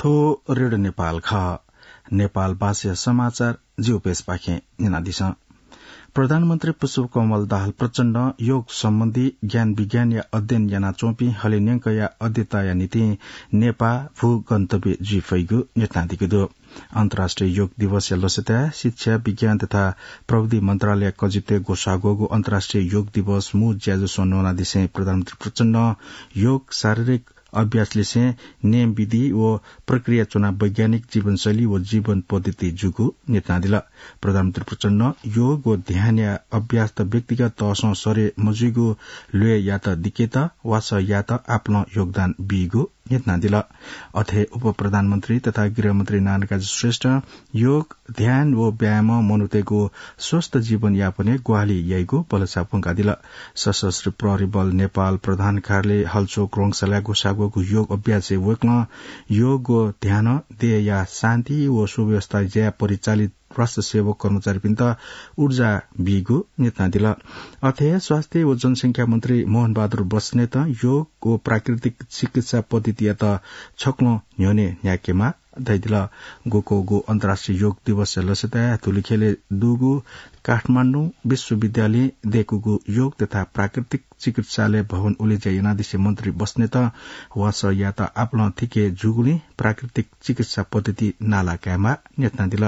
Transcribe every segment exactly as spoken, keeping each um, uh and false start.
थ्व रेडियो नेपाल खः। नेपाल भाषाया समाचार ज्यू पेजपाखें न्यनादिसँ। प्रधानमन्त्री पुष्पकमल दाहाल प्रचण्डं योग सम्बन्धी ज्ञान विज्ञानया अध्ययन यानाच्वंपिं हलिंन्यंकया अध्येताया निंतिं नेपाः भू गन्तव्य जुइ फइगु न्ह्यथनादीगु दु। अन्तर्राष्ट्रिय योग दिवसया लसताय् शिक्षा, विज्ञान तथा प्रविधि मन्त्रालय कजितय् ग्वसाः ग्वःगु अन्तर्राष्ट्रिय योग दिवस मू ज्याझ्वलय् न्वनादिसें प्रधानमन्त्री प्रचण्डं योग शारीरिक अभ्यासलिसें नेम विधि व प्रक्रिया च्वना वैज्ञानिक जीवनशैली व जीवन पद्धति जूगु न्ह्यथनादिल। प्रधानमन्त्री प्रचण्डं योग व ध्यानया अभ्यासत व्यक्तिगत तहसं सरे मजुइगु ल्वय्‌यात दिकेत वासः यायेत आपालं योगदान बीगु न्ह्यथनादिल। अथे उपप्रधानमन्त्री तथा गृहमन्त्री नारायणकाजी श्रेष्ठं योग, ध्यान व व्यायामं मनूतय्‌गु स्वस्थ जीवनयापनय् ग्वाहालि याइगु भलसा प्वंकादिल। सशस्त्र प्रहरी बल नेपाल प्रधान कार्यालय हलचोक रंगशालाय् ग्वसाः ग्वःगु योग अभ्यासय् वय्‌कलं योग व ध्यानं देय्‌या शान्ति व सुव्यवस्था ज्याय् परिचालित राष्ट्र सेवक कर्मचारीपिन्त ऊर्जा बीगु न्ह्यथनादिल। अथे हे स्वास्थ्य व जनसंख्या मन्त्री मोहन बहादुर बस्नेतं योग व प्राकृतिक चिकित्सा पद्धतियात छक्वलं न्ह्यःने न्ह्याकेमाः धयादिल। ग्वकःगु अन्तर्राष्ट्रिय योग दिवसया लसताय् धुलिखेलय् दुगु काठमाडौं विश्वविद्यालयं दय्‌कूगु योग तथा प्राकृतिक चिकित्सालय भवन उलेज्या यानादिसें मन्त्री बस्नेतं वासः यायेत आपालं थिके जूगुलिं प्राकृतिक चिकित्सा पद्धति नाला कायेमाः न्ह्यथनादिल।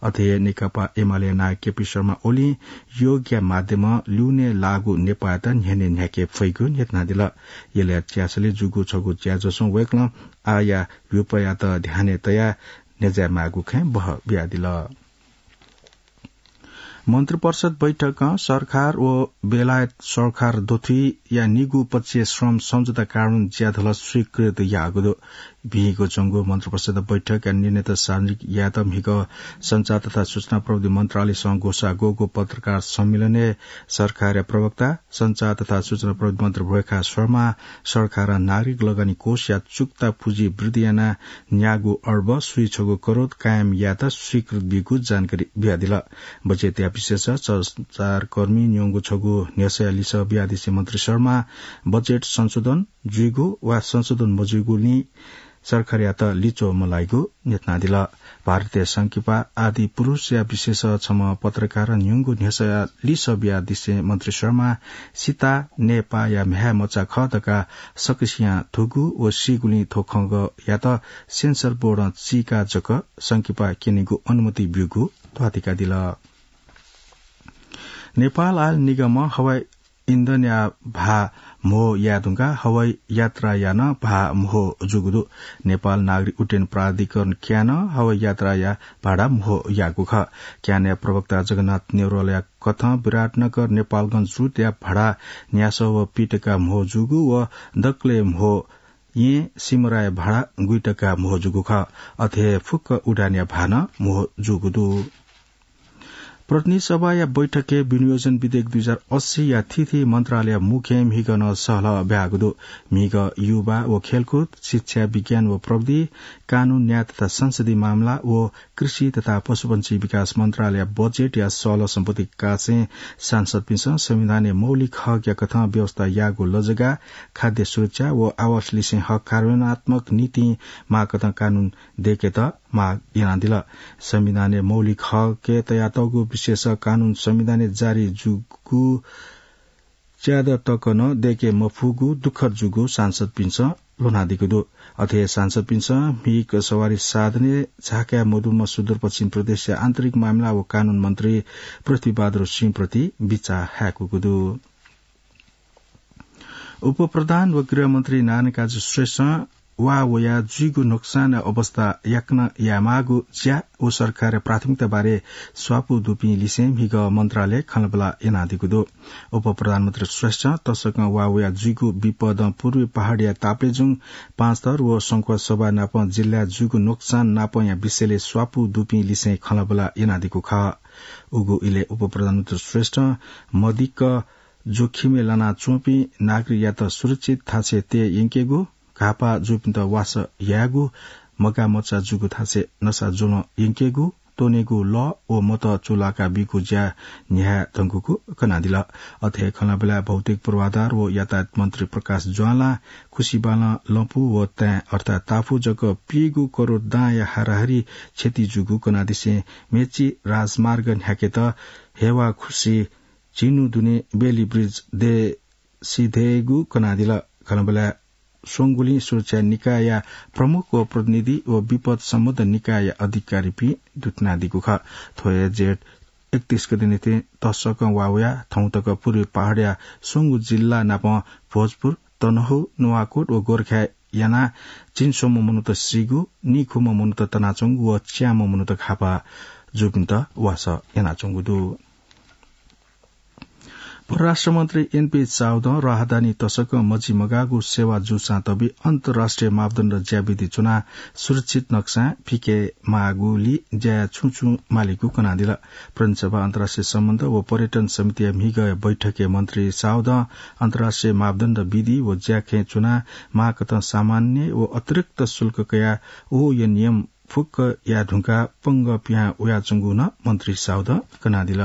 अथे हे नेकपा एमाले नायः केपी शर्मा ओलीं योगया माध्यमं ल्यूने लाःगु नेपाःयात न्ह्यःने न्ह्याके फइगु न्ह्यथनादिल। यलया च्यासलय् जूगु छगू ज्याझ्वलय् वय्‌कलं आःया ह्युपयात ध्यानय् तयाः न्ह्यज्याये माःगु खँय् बहः बियादिल। मन्त्रिपरिषद बैठकं सरकार व बेलायत सरकार दथुइया निगू पक्षीय श्रम सम्झौता कानून ज्याझ्वलय् स्वीकृत याःगु दु। भिंगु च्वंगु मन्त्रिपरिषद बैठकया निर्णयत सार्वजनिक यायेत म्हिगः सञ्चार तथा सूचना प्रविधि मन्त्रालयसं ग्वसाः ग्वःगु पत्रकार सम्मेलनय् सरकारया प्रवक्ता सञ्चार तथा सूचना प्रविधि मन्त्री भोयखा शर्मां सरकारं नागरिक लगानी कोषया चुक्ता पुँजी वृद्धि यानाः न्यागू अर्ब स्वीछगू करोड कायम यायेत स्वीकृत बीगु जानकारी बियादिल। बजेटया विषयय् सञ्चारकर्मीं न्यंगु छगू न्ह्यसःया लिसः बियादिसें मन्त्री शर्मां बजेट संशोधन जुइगु वा संशोधन मजुइगुलिं सरकारयात लिच्वः मलाइगु न्ह्यथनादिल। भारतीय संकिपा आदिपुरुषया विषयय् छम्ह पत्रकारं न्यंगु न्ह्यसःया लिसः बियादिसें मन्त्री शर्मां सिता नेपाःया म्ह्याय् मचा खः धकाः सकसियां धुगु व सीगुलिं थ्व खँग्वयात सेन्सर बोर्डं चीकाः जक संकिपा क्यनेगु अनुमति ब्यूगु ध्वाथुइकादिल। नेपाल आयल निगमं हवाई इन्धनया भाः म्हो याये धुंकाः हवाई यात्राया नं भाः म्हो जूगु दु। नेपाल नागरिक उड्डयन प्राधिकरण क्यानं हवाई यात्राया भाडा म्हो याःगु खः। क्यानया प्रवक्ता जगन्नाथ नेवरलया कथं विराटनगर नेपालगञ्ज रुटया भाडा न्यासः व पीटका म्हो जूगु व दकलय् म्हो येँ सिमराया भाडा गुइटका म्हो जूगु खः। अथे हे फुक्क उडानया भाः नं म्हो जूगु दु। प्रतिनिधि सभाया बैठकय् विनियोजन विधेयक दुई हजार अस्सीया थीथी मन्त्रालय मुख्यय् म्हिगः नं सहलह ब्याःगु दु। म्हिगः युवा व खेलकुद, शिक्षा, विज्ञान व प्रविधि, कानून, न्याय तथा संसदीय मामला व कृषि तथा पशुपंक्षी विकास मन्त्रालय बजेटया सहलह सम्पत्ति कासें सांसदपिन्सं संविधानय् मौलिक हकया कथं व्यवस्था याःगु लजगाः, खाद्य सुरक्षा व आवास लिसें हक कार्यान्वयनात्मक नीतिं माःकथं कानून दय्केत माग यानादिल। संविधानय् मौलिक हकय् तयातःगु विशेष कानून संविधानय् जारी जूगु च्यादँ तक नं दय्के मफुगु दुःखद जूगु सांसदपिन्सं ल्ह्वनादीगु दु। अथे हे सांसदपिन्सं म्हिगः सवारी साधनय् झाकाय् मदुम्ह सुदूरपश्चिम प्रदेशया आन्तरिक मामिला व कानून मन्त्री पृथ्वीबहादुर सिंह प्रति बिचाः हाय्कूगु दु। उपप्रधान व गृहमन्त्री नारायणकाजी श्रेष्ठं वा वयाः जुइगु नोक्सानया अवस्था याकनं यायेमाःगु ज्या व सरकारया प्राथमिकता बारे स्वापू दुपिं लिसें म्हिगः मन्त्रालयय् खँल्हाबल्हा यानादीगु दु। उपप्रधानमन्त्री श्रेष्ठं तसकं वा वयाः जुइगु विपदं पूर्वी पहाडया ताप्लेजुङ, पाँचथर व संखुवासभा नापं जिल्लाय् जुइगु नोक्सान नापंया विषयलय् स्वापू दुपिं लिसें खँल्हाबल्हा यानादीगु खः। उगु इलय् उपप्रधानमन्त्री श्रेष्ठं मदिक्क जोखिमय् लानाच्वंपिं नागरिकयात सुरक्षित थासय् तये यंकेगु, घाःपाः जूपिन्त वासः यायेगु, मगाःमचा जूगु थासय् नसा ज्वलं यंकेगु, त्वनेगु लः व मत चूलाका बीगु ज्या न्ह्याये धुंकूगु कनादिल। अथे खँल्हाबल्हाय् भौतिक पूर्वाधार व यातायात मन्त्री प्रकाश ज्वालां खुसिबालं लँपु व ताँय् अर्थात् ताफु जक पीगू करोड दांया हाराहारी क्षति जूगु कनादिसें मेची राजमार्ग न्ह्याकेत हेवा खुसि झिन्हु दुने बेली ब्रिज दयेसिधयेगु कनादिल। खँल्हाबल्हाय् स्वंगुलिं सुरक्षा निकायया प्रमुख व प्रतिनिधि व विपद सम्बद्ध निकायया अधिकारीपिं दुथनादीगु खः। थ्व हे जेठ एकतीस गते निंतिं तसकं वा वयाः थौं तक पूर्वी पहाडया स्वंगू जिल्ला नापं भोजपुर, तनहुँ, नुवाकोट व गोरखाय् यानाः झिंस्वम्ह मनूत सीगु, नीखुम्ह मनूत तनाच्वंगु व च्याम्ह मनूत घाःपाः जूपिन्त वासः यानाच्वंगु दु। परराष्ट्र मन्त्री एनपी साउदं राहदानी तसकं मजिमगाःगु सेवा जूसां तबि अन्तर्राष्ट्रिय मापदण्ड ज्याविधि च्वनाः सुरक्षित नक्सां पिके माःगुलिं ज्याय् छुं छुं मालीगु कनादिल। प्रतिनिधि सभा अन्तर्राष्ट्रिय सम्बन्ध व पर्यटन समितिया म्हिगः बैठकय् मन्त्री साउदं अन्तर्राष्ट्रिय मापदण्ड विधि व ज्याखँय् च्वनाः माःकथं सामान्य व अतिरिक्त शुल्क कयाः ओया नियम फुक्कया धुंकाः पंगः पिहां वयाच्वंगु नं मन्त्री साउदं कनादिल।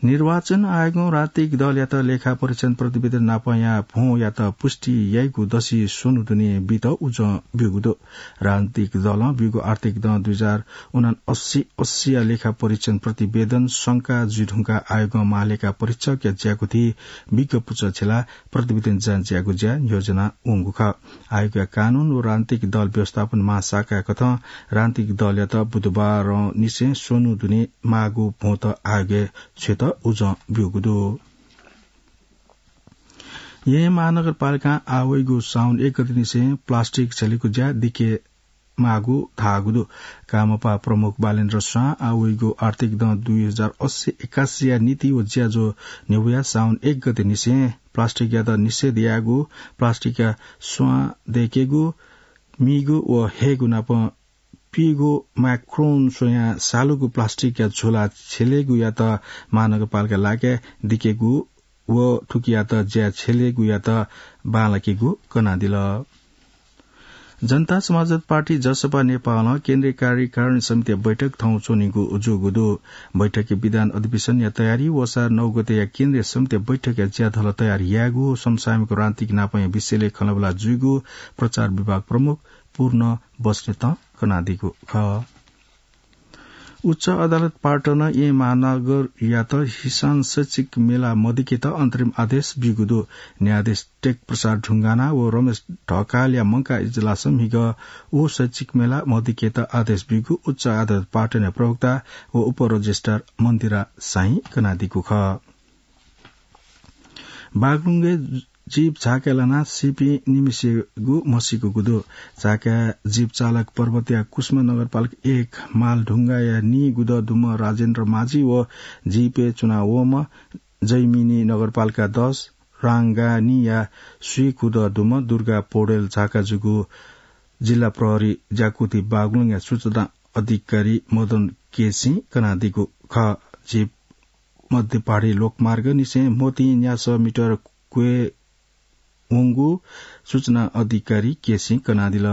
निर्वाचन आयोगं राजनीतिक दलयात लेखा परीक्षण प्रतिवेदन नापंया भ्वंयात पुष्टि याइगु दसि स्वन्हु दुने बीत उजं ब्यूगु दु। राजनीतिक दलं ब्यूगु आर्थिक दँ दुई हजार उनासी अस्सीया लेखा परीक्षण प्रतिवेदन शंका जुइधुंकाः आयोगं महालेखा परीक्षकया ज्याकुथि बिज्ञ पुचः छ्यलाः प्रतिवेदन जाँच यायेगु ज्या नियोजना वंगु खः। आयोगया कानून व राजनीतिक दल व्यवस्थापन महाशाखाया कथं राजनीतिक दलयात बुधबारंनिसें स्वन्हु दुने माःगु भ्वंत आयोगय् छ्वयेत उजं ब्यूगु दु। येँ महानगरपालिकां आः वइगु साउन एक गतेनिसें प्लास्टिक झ्यलेगु ज्या दिके माःगु धाःगु दु। कामपा प्रमुख बालेन्द्र स्वां आः वइगु आर्थिक दँ दुई हजार अस्सी एकासीया नीति व ज्याझ्वः न्ह्यब्वयाः साउन एक गतेनिसें प्लास्टिकयात निषेध यायेगु, प्लास्टिकया स्वां दय्केगु, मीगु व हयेगु नाप पीगु माइक्रोन स्वयां सालुगु प्लास्टिकया झोला झ्यलेगुयात महानगरपालिका लागाय् दिकेगु व थुकियात ज्या झ्यलेगुयात बांलाकेगु कनादिल। जनता समाजवादी पार्टी, जसपा, नेपालं केन्द्रीय कार्यकारिणी समितिया बैठक थौं च्वनीगु जूगु दु। बैठकय् विधान अधिवेशनया तयारी व असार नौ गतेया केन्द्रीय समितिया बैठकया ज्याझ्वलय् तयारी यायेगु, समसामयिक राजनीतिक नापंया विषयलय् खँल्हाबल्हा जुइगु प्रचार विभाग प्रमुख पूर्ण बस्नेतं कनादीगु खः। उच्च अदालत पाटनं येँ महानगरयात हिसान शैक्षिक मेला मदिकेत अन्तरिम आदेश ब्यूगु दु। न्यायाधीश टेक प्रसाद ढुङ्गाना व रमेश ढकालया मंकाः इजलासं म्हिगः व शैक्षिक मेला मदिकेत आदेश ब्यूगु उच्च अदालत पाटनया प्रवक्ता व उपरजिस्ट्रार मन्दिरा शाहीं कनादीगु खः। बागलुङय् जीप झाकाय् लानाः सीपिं निम्हसिगु म्हसीकूगु दु। झाकाय् जीप चालक पर्वतया कुसुम नगरपालिका एक मालढुङ्गाया नीगुदँ दुम्ह राजेन्द्र माझी व जीपय् च्वनावंम्ह जैमिनी नगरपालिका दस राङ्गानीया स्वीगुदँ दुम्ह दुर्गा पौडेल झाका जूगु जिल्ला प्रहरी ज्याकुथि बागलुङया सूचना अधिकारी मदन केसीं कनादीगु खः। जीप मध्य पहाडी लोकमार्गनिसें मोती न्यासः मिटर क्वय् वंगु सूचना अधिकारी केसीं कनादिल।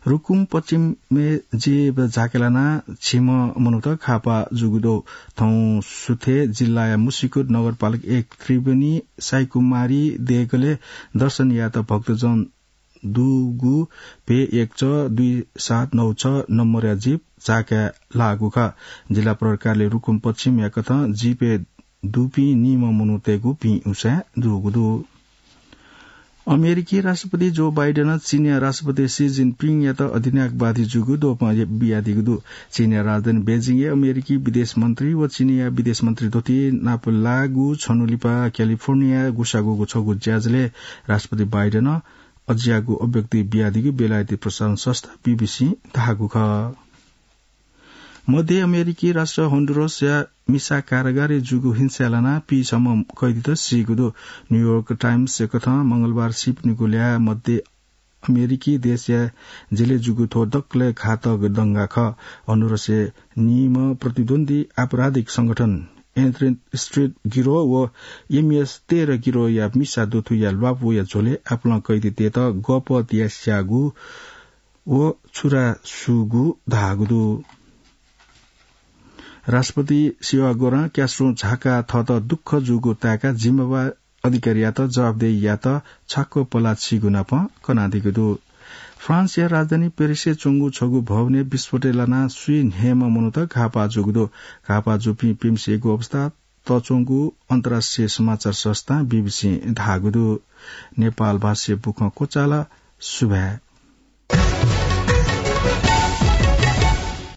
रुकुम पश्चिमय् जीप झाकाय् लानाः झिम्ह मनूत घाःपाः जूगु दु। थौं सुथय् जिल्लाया मुसिकोट नगरपालिका एक त्रिवेणी साईकुमारी देगलय् दर्शन यायेत भक्तजन दुगु भे एक च दुई सात नौ छ नम्बरया जीप झाकाय् लाःगु खः। जिल्ला प्रहरी कार्यालय रुकुम पश्चिमया कथं जीपय् दुपिं नीम्ह मनूतय्गु भिं उसाँय् दुगु दु। अमेरिकी राष्ट्रपति जो बाइडेनं चीनया राष्ट्रपति सी जिनपिङयात अधिनायकवादी जूगु द्वपं बियादीगु दु। चीनया राजधानी बेजिङय् अमेरिकी विदेश मन्त्री व चीनया विदेश मन्त्री द्वःति नाप लाःगु छन्हु लिपा क्यालिफोर्नियाय् गुसागुगु छगू ज्याझ्वलय् राष्ट्रपति बाइडेनं अज्याःगु अभिव्यक्ति बियादीगु बेलायती प्रसारण संस्था बीबीसीं धाःगु खः। मध्य अमेरिकी राष्ट्र होन्डुरसया मिसा कारागारय् जूगु हिंसाय् लानाः पीसम्म कैदीत सीगु दु। न्यूयोर्क टाइम्सया कथं मंगलबार सीपिनिगु ल्याः मध्य अमेरिकी देशया जेलय् जूगु थ्व दकलय् घातक दंगा खः। होन्डुरसय् नीम्ह प्रतिद्वन्द्वी आपराधिक संगठन एन्थ्रेन स्ट्रिट गिरोह व एमएस तेह्र गिरोहया मिसा दुथुया ल्वापुया झ्वलय् आपालं कैदीतय्त गःपः तिया स्याःगु व छुरा सूगु धाःगु दु। राष्ट्रपति सेवाग्वरं क्यास्रों झाकाः थःत दुःख जूगु ताय्काः जिम्मेवार अधिकारीयात जवाफदेही यायेत छाक्क पलाः चीगु नाप कनादीगु दु। फ्रान्सया राजधानी पेरिसय् च्वंगु छगू भवनय् विस्फोटय् लानाः स्वीन्हय्म्ह मनूत घाःपाः जूगु दु। घाःपाः जूपिं प्यम्हसिगु अवस्था तःच्वंगु अन्तर्राष्ट्रिय समाचार संस्था बीबीसीं धाःगु दु। नेपाल भाषाया बुखँ क्वचाल। सुभाय्।